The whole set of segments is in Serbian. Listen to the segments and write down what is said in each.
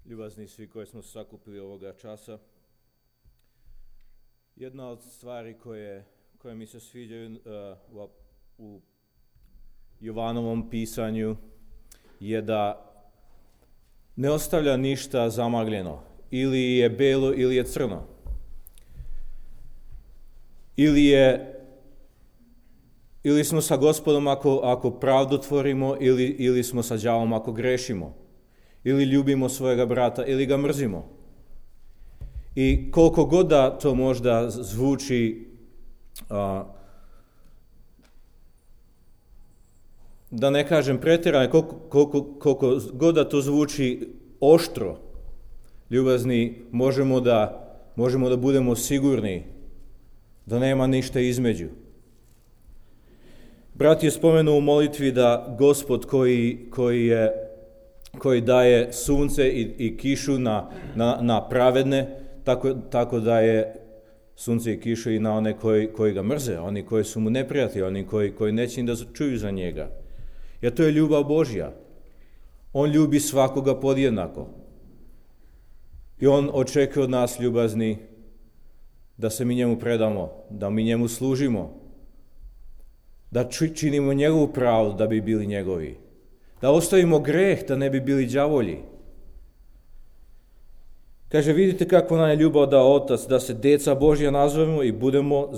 Ljubazni svi koji smo sakupili ovoga časa. Jedna od stvari koje mi se sviđaju u Jovanovom pisanju je da ne ostavlja ništa zamagljeno. Ili je belo ili je crno. Ili smo sa Gospodom ako pravdu tvorimo, ili smo sa đavolom ako grešimo. Ili ljubimo svojega brata, ili ga mrzimo. I koliko god da to možda zvuči, da ne kažem pretjerano, koliko god da to zvuči oštro, ljubazni, možemo da budemo sigurni da nema ništa između. Brat je spomenuo u molitvi da Gospod koji daje sunce i kišu na pravedne, tako daje sunce i kišu i na one koji ga mrze, oni koji su mu neprijatelji, oni koji neće ni da čuju za njega. Jer to je ljubav Božja. On ljubi svakoga podjednako. I on očekuje od nas, ljubazni, da se mi njemu predamo, da mi njemu služimo, da činimo njegovu pravdu da bi bili njegovi, da ostavimo greh da ne bi bili đavolji. Kaže, vidite kako nam je ljubav dao Otac, da se deca Božja nazovemo i budemo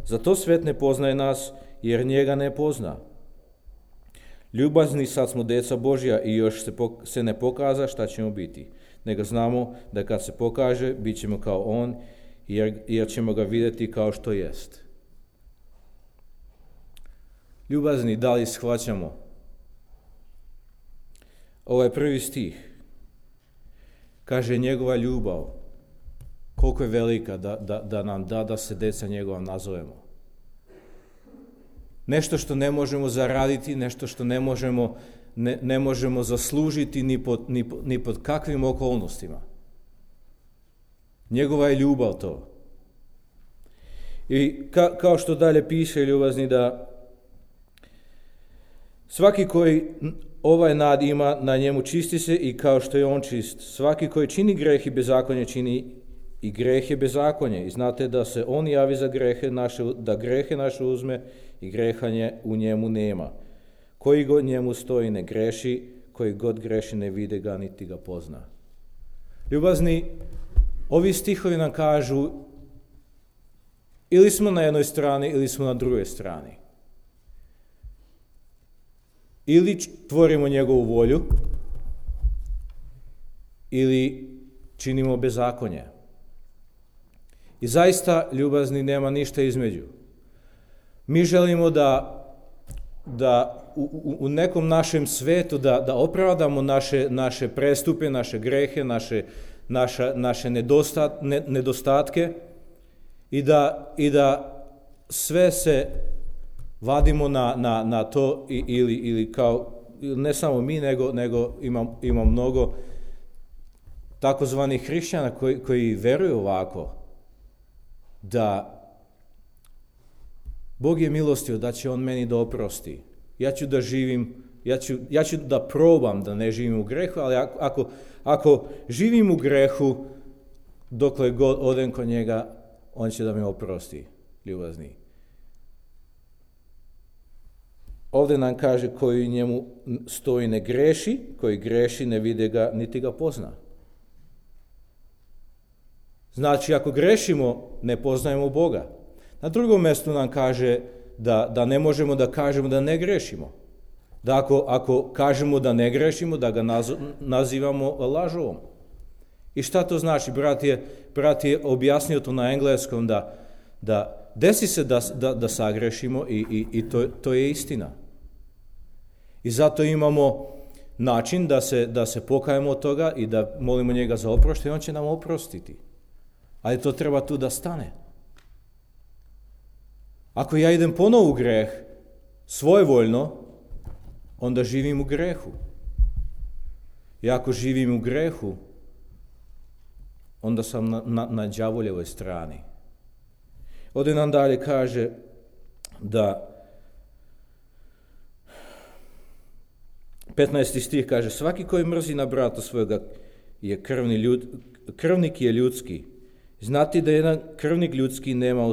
za to svet ne poznaje nas, jer njega ne pozna. Ljubazni, sad smo deca Božja i još se ne pokaza šta ćemo biti. Nego znamo da kad se pokaže, bit ćemo kao on, jer ćemo ga vidjeti kao što jest. Ljubazni, da li shvaćamo? Ovo je prvi stih. Kaže, njegova ljubav, koliko je velika da nam da se deca njegova nazovemo. Nešto što ne možemo zaraditi, nešto što ne možemo zaslužiti ni pod kakvim okolnostima. Njegova je ljubav to. I kao što dalje piše, ljubazni, da svaki koji ovaj nad ima, na njemu čisti se i kao što je on čist. Svaki koji čini greh i bezakonje čini i greh je bezakonje. I znate da se on javi za grehe naše, da grehe naše uzme i grehanje u njemu nema. Koji god njemu stoji ne greši, koji god greši ne vide ga niti ga pozna. Ljubazni, ovi stihovi nam kažu ili smo na jednoj strani ili smo na drugoj strani. Ili tvorimo njegovu volju, ili činimo bezakonje. I zaista, ljubazni, nema ništa između. Mi želimo da u nekom našem svetu da opravdamo naše prestupe, naše grehe, naše nedostatke i da sve se vadimo na to ili kao, ne samo mi, nego ima mnogo takozvanih hrišćana koji veruju ovako, da Bog je milostiv, da će on meni da oprosti. Ja ću da živim, ja ću da probam da ne živim u grehu, ali ako živim u grehu, dokle god odem kod njega, on će da me oprosti, ljubazni. Ovdje nam kaže, koji njemu stoji ne greši, koji greši ne vide ga niti ga pozna. Znači, ako grešimo, ne poznajemo Boga. Na drugom mjestu nam kaže da ne možemo da kažemo da ne grešimo. Da ako kažemo da ne grešimo, da ga nazivamo lažovom. I šta to znači? Brat je objasnio to na engleskom da desi se da sagrešimo i to je istina. I zato imamo način da se pokajemo od toga i da molimo njega za oproštenje, on će nam oprostiti. Ali to treba tu da stane. Ako ja idem ponovo u greh, svojevoljno, onda živim u grehu. I ako živim u grehu, onda sam na đavoljevoj strani. Ovdje nam dalje kaže da 15. stih kaže, svaki koji mrzi na brata svojega krvnik je ljudski. Znati da jedan krvnik ljudski nema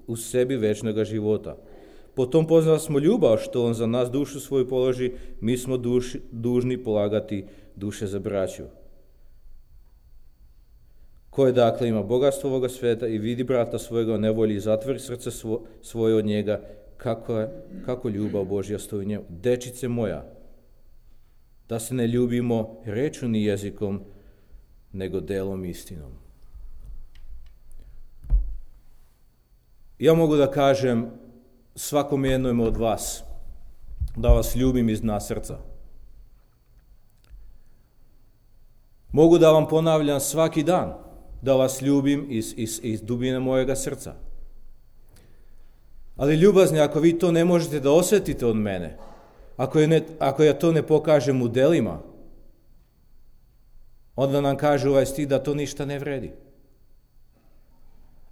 u sebi večnog života. Potom poznali smo ljubav što on za nas dušu svoju položi, mi smo dužni polagati duše za braću. Koje dakle ima bogatstvo ovoga sveta i vidi brata svojega u nevolji i zatvori srce svoje od njega, kako ljubav Božja stoji u njemu. Dečice moja, da se ne ljubimo rečju ni jezikom, nego delom istinom. Ja mogu da kažem svakom jednom od vas da vas ljubim iz dna srca. Mogu da vam ponavljam svaki dan da vas ljubim iz dubine mojega srca. Ali ljubazni, ako vi to ne možete da osjetite od mene, ako ja to ne pokažem u delima, onda nam kaže ovaj stih da to ništa ne vredi.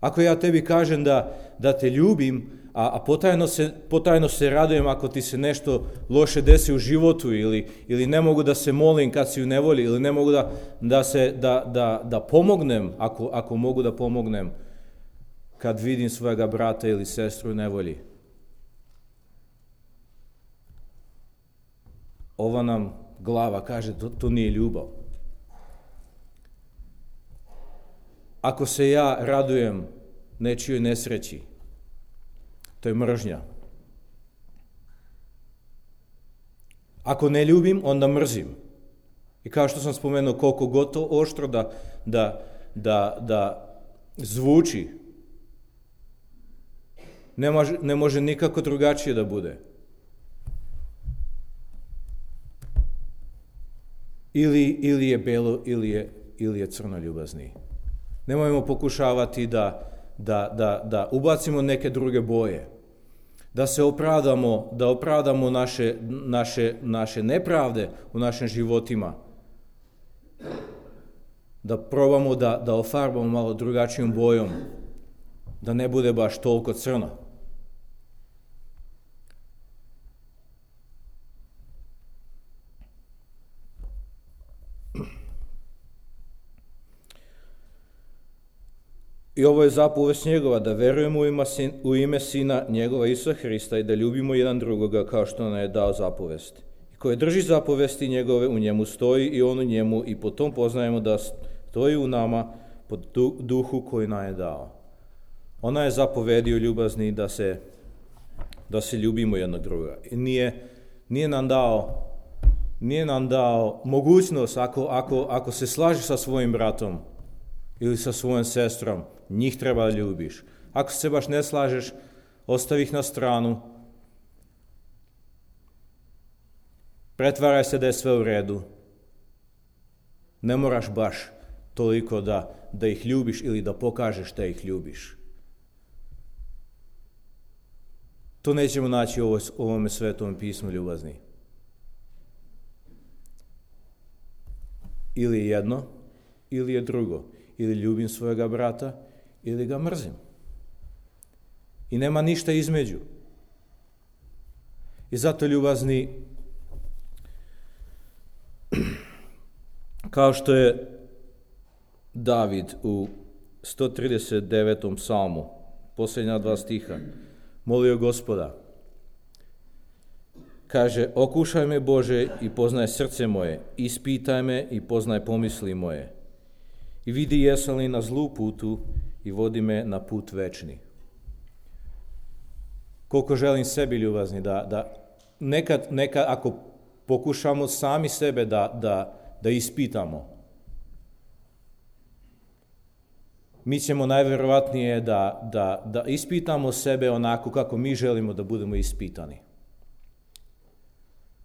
Ako ja tebi kažem da te ljubim, a potajno se radujem ako ti se nešto loše desi u životu ili ne mogu da se molim kad si u nevolji ili ne mogu da pomognem ako mogu da pomognem kad vidim svojega brata ili sestru u nevolji. Ova nam glava kaže to nije ljubav. Ako se ja radujem nečijoj nesreći, to je mržnja. Ako ne ljubim, onda mrzim. I kao što sam spomenuo, koliko god to oštro da zvuči, ne može nikako drugačije da bude. Ili je belo, ili je crno ljubazni. Nemojmo pokušavati da ubacimo neke druge boje, da se opravdamo naše nepravde u našim životima, da probamo da ofarbamo malo drugačijom bojom, da ne bude baš toliko crno. I ovo je zapovest njegova, da verujemo u ime Sina njegova Isusa Hrista i da ljubimo jedan drugoga kao što nam je dao zapovest. I koji drži zapovesti njegove, u njemu stoji i on u njemu i po tom poznajemo da stoji u nama po duhu koji nam je dao. Ona je zapovedio ljubazni da se ljubimo jednog druga. I nije nam dao mogućnost ako se slažeš sa svojim bratom ili sa svojom sestrom, njih treba da ljubiš. Ako se baš ne slažeš, ostavi ih na stranu. Pretvaraj se da je sve u redu. Ne moraš baš toliko da ih ljubiš ili da pokažeš da ih ljubiš. To nećemo naći u ovome svetom pismu ljubazni. Ili je jedno, ili je drugo. Ili ljubim svojega brata, ili ga mrzim. I nema ništa između. I zato ljubazni, kao što je David u 139. psalmu, posljednja 2 stiha, molio Gospoda, kaže, okušaj me Bože i poznaj srce moje, ispitaj me i poznaj pomisli moje. I vidi jesam li na zlu putu i vodi me na put večni. Koliko želim sebi ljubazni, da nekad ako pokušamo sami sebe da ispitamo, mi ćemo najvjerovatnije da ispitamo sebe onako kako mi želimo da budemo ispitani.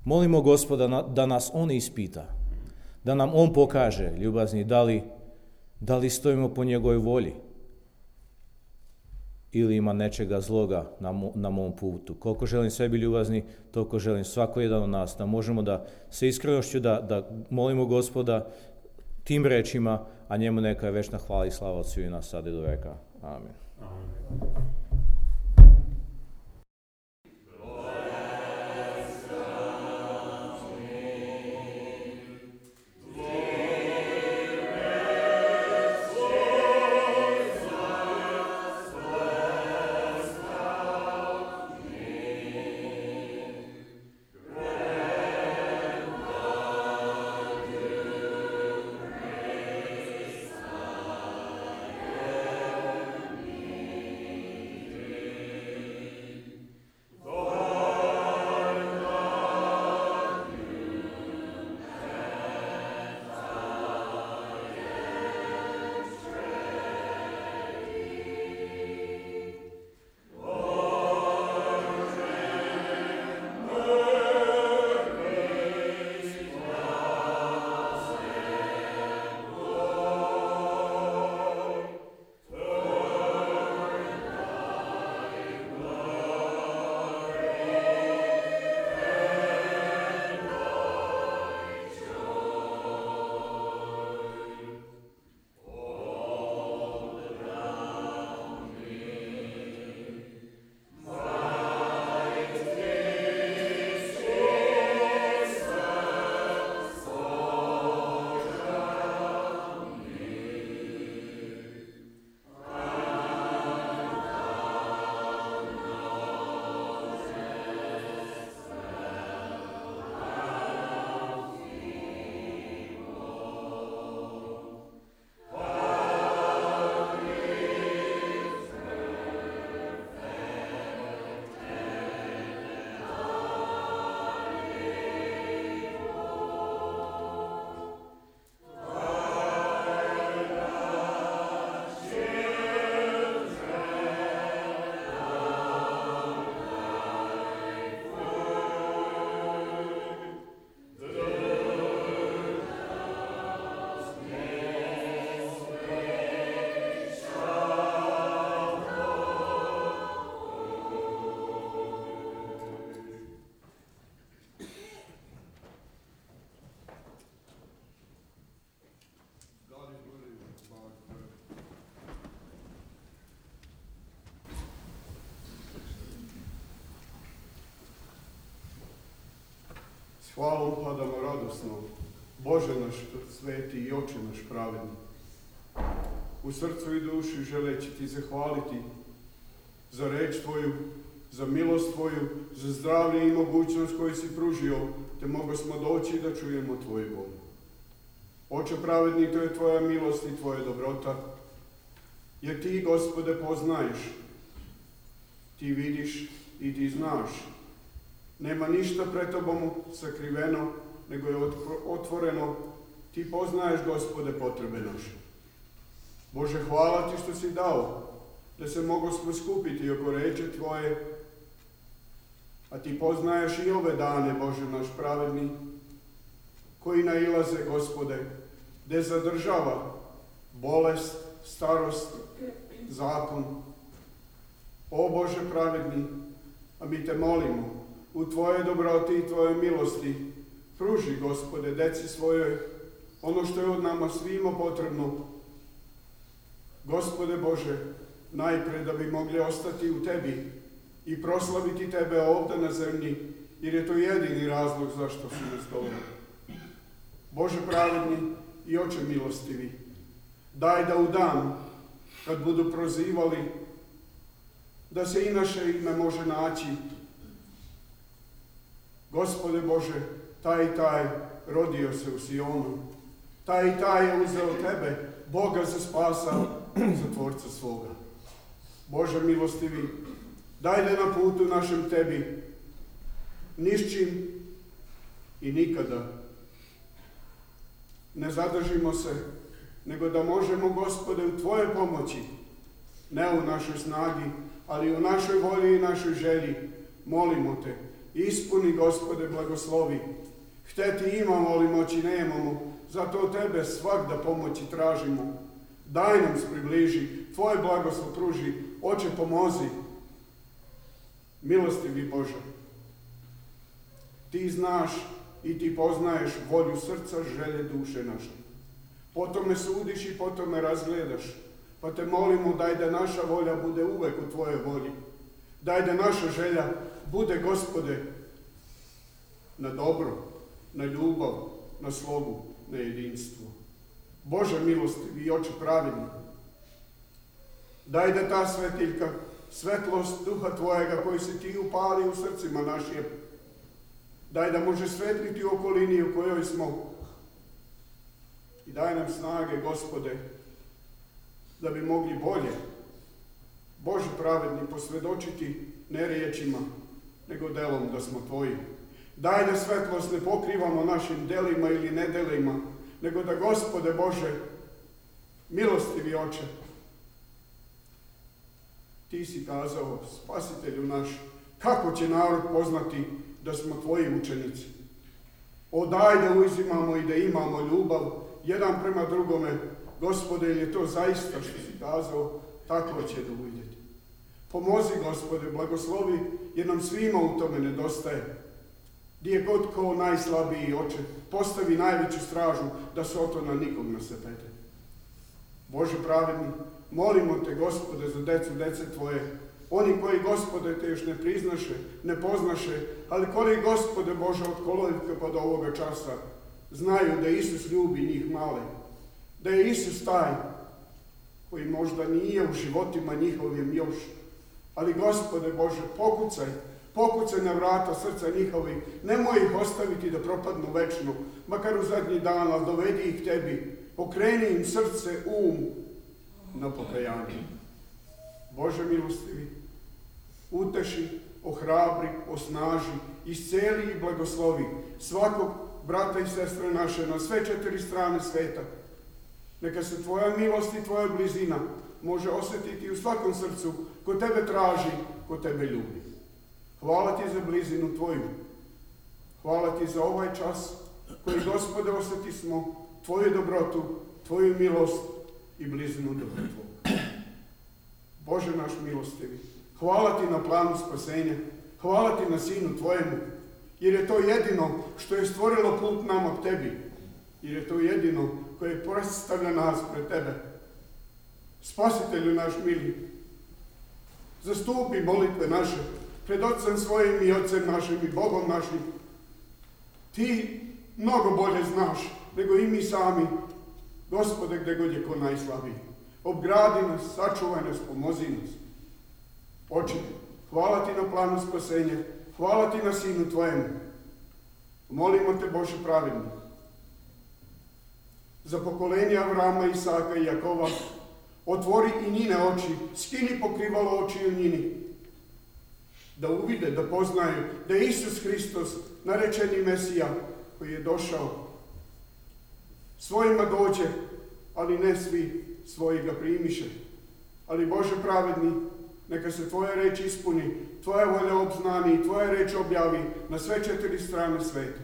Molimo Gospoda da nas On ispita, da nam On pokaže, ljubazni, da li stojimo po njegovoj volji ili ima nečega zloga na mom putu. Koliko želim sebi ljubazni, toliko želim svako jedan od nas, da možemo da sa iskrenošću da molimo Gospoda tim rečima, a njemu neka je večna hvala i slava od svih nas sad i do veka. Amen. S hvalom padamo radosno, Bože naš sveti i Oče naš pravedni. U srcu i duši želeći ti zahvaliti za reč tvoju, za milost tvoju, za zdravlje i mogućnost koju si pružio, te mogo smo doći da čujemo tvoju volju. Oče pravedni, to je tvoja milost i tvoja dobrota, jer ti, Gospode, poznaješ, ti vidiš i ti znaš. Nema ništa pred tobom sakriveno, nego je otvoreno. Ti poznaješ, Gospode, potrebe naše. Bože, hvala ti što si dao da se mogosmo skupiti oko reči tvoje, a ti poznaješ i ove dane, Bože naš pravedni, koji nailaze, Gospode, gde zadržava bolest, starost, zakon. O Bože pravedni, a mi te molimo, u tvoje dobroti i tvoje milosti, pruži, Gospode, deci svojoj ono što je od nama svima potrebno. Gospode Bože, najpre da bi mogli ostati u tebi i proslaviti tebe ovdje na zemlji, jer je to jedini razlog zašto si nas doveo. Bože pravedni i Oče milostivi, daj da u dan, kad budu prozivali, da se i naše ime može naći. Gospode Bože, taj i taj rodio se u Sionu, taj i taj je uzeo tebe, Boga za spasa, za Tvorca svoga. Bože milostivi, daj da na putu našem tebi, nišćim i nikada ne zadržimo se, nego da možemo, Gospode, u tvoje pomoći, ne u našoj snagi, ali u našoj volji i našoj želji, molimo te, ispuni, Gospode, blagoslovi. Hteti imamo, ali moći nemamo, zato od tebe svakda pomoći tražimo. Daj nam se približi, tvoje blagoslov pruži, Oče pomozi. Milostivi Bože, ti znaš i ti poznaješ volju srca, želje duše naše. Potom me sudiš i potom me razgledaš, pa te molimo, daj da naša volja bude uvek u tvojoj volji. Daj da naša želja bude, Gospode, na dobro, na ljubav, na slogu, na jedinstvo. Bože milostivi i Oče pravedni, daj da ta svetiljka, svetlost duha tvojega koji si ti upali u srcima našim, daj da može svetliti u okolini u kojoj smo. I daj nam snage, Gospode, da bi mogli bolje, Bože pravedni, posvjedočiti ne riječima, nego delom da smo tvoji. Daj da svetlost ne pokrivamo našim delima ili nedelima, nego da, Gospode Bože, milostivi Oče, ti si kazao, Spasitelju naš, kako će narod poznati da smo tvoji učenici? O, daj da uzimamo i da imamo ljubav jedan prema drugome, Gospode, ili je to zaista što si kazao, tako će da uvidjeti. Pomozi, Gospode, blagoslovi, jer nam svima u tome nedostaje. Gdje god ko najslabiji, Oče, postavi najveću stražu da se o to na nikog ne sepete. Bože pravedni, molimo te, Gospode, za dece tvoje, oni koji, Gospode, te još ne priznaše, ne poznaše, ali koji, Gospode Bože, od kolevke pa do ovoga časa znaju da Isus ljubi njih male, da je Isus taj koji možda nije u životima njihovim još, ali, Gospode Bože, pokucaj na vrata srca njihovih, nemoj ih ostaviti da propadnu večno, makar u zadnji dan, ali dovedi ih tebi, pokreni im srce, na pokajanje. Bože milostivi, uteši, ohrabri, osnaži, isceli i blagoslovi svakog brata i sestre naše na sve 4 strane sveta. Neka se tvoja milost i tvoja blizina može osjetiti u svakom srcu ko tebe traži, ko tebe ljubi. Hvala ti za blizinu tvoju. Hvala ti za ovaj čas koji, Gospode, osjeti smo tvoju dobrotu, tvoju milost i blizinu dobra tvoga. Bože naš milostivi, hvala ti na planu spasenja, hvala ti na Sinu tvojemu, jer je to jedino što je stvorilo put nama k tebi, jer je to jedino koje predstavlja nas pred tebe. Spasitelju naš mili, zastupi molitve naše pred Otcem svojim i Otcem našim i Bogom našim. Ti mnogo bolje znaš nego i mi sami, Gospode, gdje god je ko najslabiji. Obgradi nas, sačuvaj nas, pomozi nas. Oče, hvala ti na planu spasenja, hvala ti na Sinu tvojemu. Molimo te, Bože pravedni, za pokolenje Avrama, Isaka i Jakova, otvori i njine oči, skini pokrivalo oči u njini, da uvide, da poznaju da je Isus Hristos, narečeni Mesija, koji je došao. Svojima dođe, ali ne svi svoji ga primiše. Ali Bože pravedni, neka se tvoja reč ispuni, tvoja volja obznani i tvoja reč objavi na sve 4 strane sveta.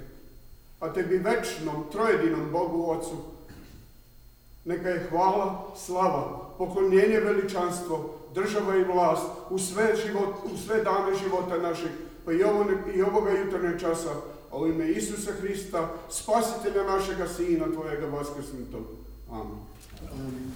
A tebi večnom, trojedinom Bogu Otcu, neka je hvala, slava, poklonjenje, veličanstvo, država i vlast u sve dane života našeg, pa i ovoga jutarnjeg časa, a u ime Isusa Hrista, Spasitelja našega Sina, tvojega vaskrsnutog. Amen. Amen.